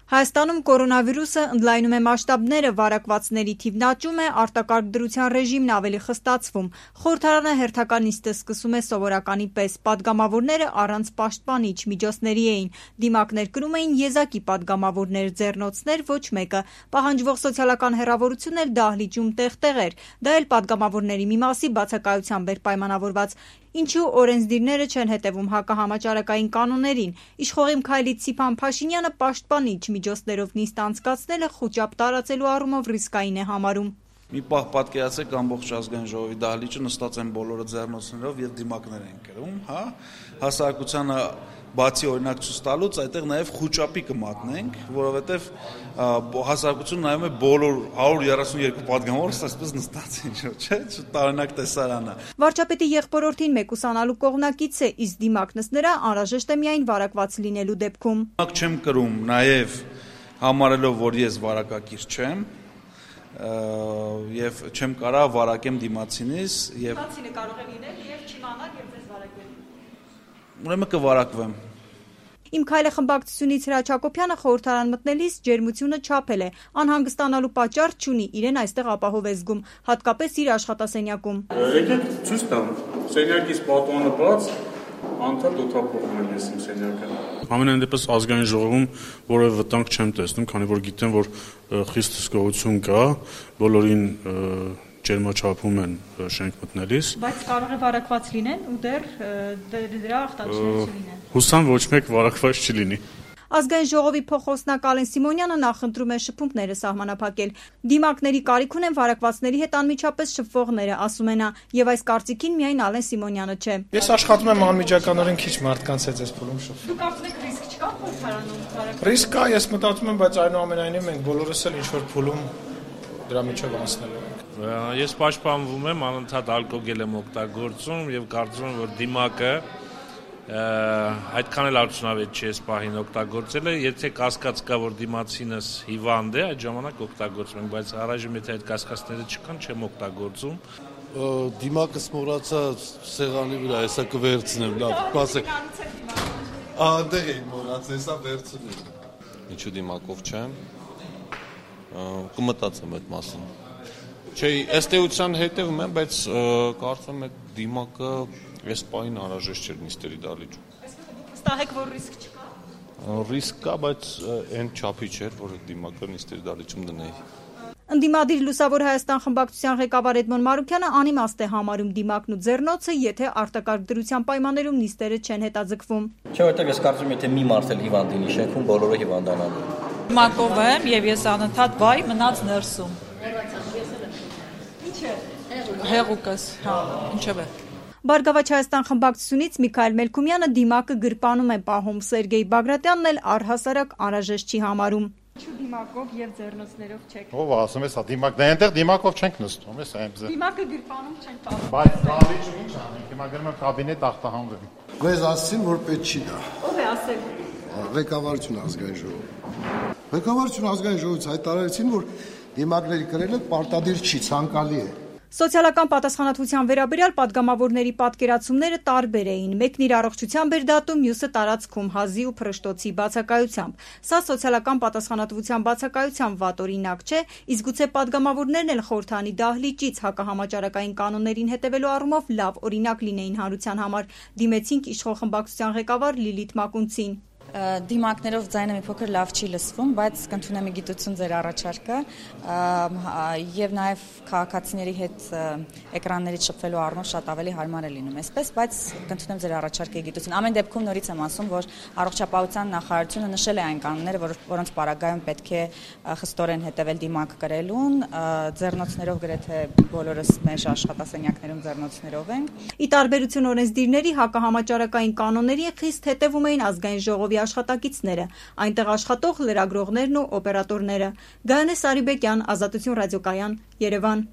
Հայաստանում կորոնավիրուսը ընդլայնում է մասշտաբները, վարակվածների թիվն աճում է, արտակարգ դրության ռեժիմն ավելի խստացվում։ Խորհրդարանը հերթական նիստը սկսում է սովորականի պես։ Պատգամավորները առանց պաշտպանիչ միջոցների էին։ Դիմակներ կրում էին եզակի պատգամավորներ, ձեռնոցներ ոչ մեկը։ Պահանջվող սոցիալական հեռավորությունն էլ դահլիճում տեղ-տեղ էր։ Դա էլ պատգամավորների մի մասի բացակայությամբ էր պայմանավորված։ Ինչու օրենսդիրները չեն հետևում հակահամաճարակային կանոններին։ Իշխողի քայլից Սիփան Փաշինյանը պաշտպանիչ միջոցներով նիստ անցկացնելը խուճապ տարածելու առումով ռիսկային է համարում։ Մի պահ պատկերացրեք, ամբողջ ազգային ժողովի դահլիճը նստած են բոլորը ձեռնոցներով եւ դիմակներ են կրում, հասարակությանը բացի օրինակ ցույց տալուց, այդտեղ նաև խուճապի կմատնենք, որովհետև հասարակությունը նայում է բոլոր 132 պատգամավորը այսպես նստած են, չէ՞, տարօրինակ տեսարանը։ Վարչապետի եղբորորդին մեկուսանալու կողմնակից է, իսկ դիմակնս նրա անհրաժեշտ է միայն վարակված լինելու դեպքում։ Դիմակ չեմ կրում, նաև համարելով, որ ես վարակակիր չեմ, եւ չեմ կարա վարակեմ դիմացինից եւ Դիմացինը կարող է լինել եւ չիմանալ եւ ձեզ վարակել։ Ուրեմն կվարակվեմ։ Իմ քայլը խմբակցությունից Հրաչ Հակոբյանը խորհրդարան մտնելիս ջերմությունը չափել է, անհանգստանալու պատճառ չունի, իրեն այստեղ ապահով է զգում, հատկապես իր աշխատասենյակում։ Եկեք ցույց տամ, սենյակից պատուանը բաց, անդադ օդափողում եմ ես իմ սենյակը։ Ամենայն դեպս ազգային ժողովում որևէ վտանգ չեմ տեսնում, քանի որ գիտեմ, որ խիստ հսկողություն կա, բոլորին ջերմաչափում են շենք մտնելիս։ Բայց կարող է վարակված լինեն ու դրա ախտանիշներ չլինեն։ Հուսամ ոչ մեկ վարակված չլինի։ Ազգային ժողովի փոխոսնակ Ալեն Սիմոնյանը նախընտրում է շփումները սահմանափակել։ Դիմակների կարիք ունեն վարակվածների հետ անմիջապես շփվողները, ասում է նա, եւ այս կարծիքին միայն Ալեն Սիմոնյանը չէ։ Ես աշխատում եմ անմիջականորեն քիչ մարդկանց հետ այս փուլում շփվում։ Դուք կարծեք ռիսկ չկա խորհրդարանում։ Ռիսկ կա, ես մտածում եմ, բայց այնուամենայնիվ մենք բոլորս էլ ինչ որ փուլում դրա միջով անցնելու ենք։ Ես պաշտպանվում եմ, անընդհատ ալկոգել եմ օգտագործում եւ կարծում եմ, որ դիմակը այդքան էլ արդյունավետ չի այս պահին օգտագործելը, եթե կասկած կա, որ դիմացինս հիվանդ է, այդ ժամանակ օգտագործում ենք, բայց առայժմ եթե այդ կասկածները չկան, չեմ օգտագործում։ Դիմակը մոռացա սեղանի վրա, հեսա կվերցնեմ, լավ, սպասեք։ Անդեղ էի մոռացել, հեսա վերցնեմ։ Ինչու դիմակով չեմ։ Կմտածեմ այդ մասին։ Չէ, ըստ էության հետևում եմ, բայց կարծում եմ դիմակը այս պահին անհրաժեշտ չէ նիստերի դահլիճում։ Վստահ եք, որ ռիսկ չկա։ Ռիսկ կա, բայց այն չափի չէր, որ դիմակը նիստերի դահլիճում դնեի։ Ընդդիմադիր Լուսավոր Հայաստան խմբակցության ղեկավար Էդմոն Մարուկյանը անիմաստ է համարում դիմակն ու ձեռնոցը, եթե արտակարգ դրության պայմաններում նիստերը չեն հետաձգվում։ Չէ, որտեղ ես կարծում եմ, եթե մի մարդ էլ հիվանդ լինի շենքում, բոլորը հիվանդանալու։ Դիմակով եմ եւ ես անընդհատ վայ մնաց ներսում։ Ինչ է։ Հեղուկս, հա, ինչև է։ Բարգավաճ Հայաստան խմբակցությունից Միքայել Մելքումյանը դիմակը գրպանում է պահում, Սերգեյ Բագրատյանն էլ առհասարակ անհրաժեշտ չի համարում։ Ինչու դիմակով եւ ձեռնոցներով չեք։ Ով ասում ես, դիմակ, դե այնտեղ դիմակով չենք նստում, ես այնպես։ Դիմակը գրպանում չենք պահում։ Բայց դահլիճում ինչ անենք, հիմա գնում եմ կաբինետ ախտահանվեմ։ Մեզ ասեցին, որ պետք չի դա։ Ով է ասել։ Ղեկավարություն ազգային ժողով։ Ղեկավարություն ազգային ժողովից հայտարարեցին, որ դիմակների կրելը պարտադիր չի, ցանկալի է։ Սոցիալական պատասխանատվության վերաբերյալ պատգամավորների պատկերացումները տարբեր էին։ Մեկն իր առողջությամբ էր դատում, մյուսը տարածքում հազի ու փռշտոցի բացակայությամբ։ Սա սոցիալական պատասխանատվության բացակայության վատ օրինակ չէ, իսկ գուցե պատգամավորներն էլ խորհրդանի դահլիճից հակահամաճարակային կանոններին հետևելու առումով լավ օրինակ լինեին հանրության համար։ Դիմեցինք իշխող խմբակցության ղեկավար Լիլիթ Մակունցին։ Դիմակներով ձայնը մի փոքր լավ չի լսվում, բայց կընդունեմ գիտություն ձեր առաջարկը եւ նաեւ քաղաքացիների հետ էկրաններից շփվելու առումով շատ ավելի հարմար է լինում այսպես, բայց կընդունեմ ձեր առաջարկը գիտություն։ Ամեն դեպքում նորից եմ ասում, որ առողջապահության նախարարությունը նշել է այն կանոնները, որոնց պարագայում պետք է խստորեն հետևել դիմակ կրելուն, ձեռնոցներով գրեթե բոլորս մեր աշխատասենյակներում ձեռնոցներով ենք։ Ի տարբերություն օրենսդիրների հակահամաճարակային կանոնների խիստ հետևում էին ազգային ժողովի աշխատակիցները, այնտեղ աշխատող լրագրողներն ու օպերատորները։ Գայանե Սարիբեկյան, Ազատություն ռադիոկայան, Երևան։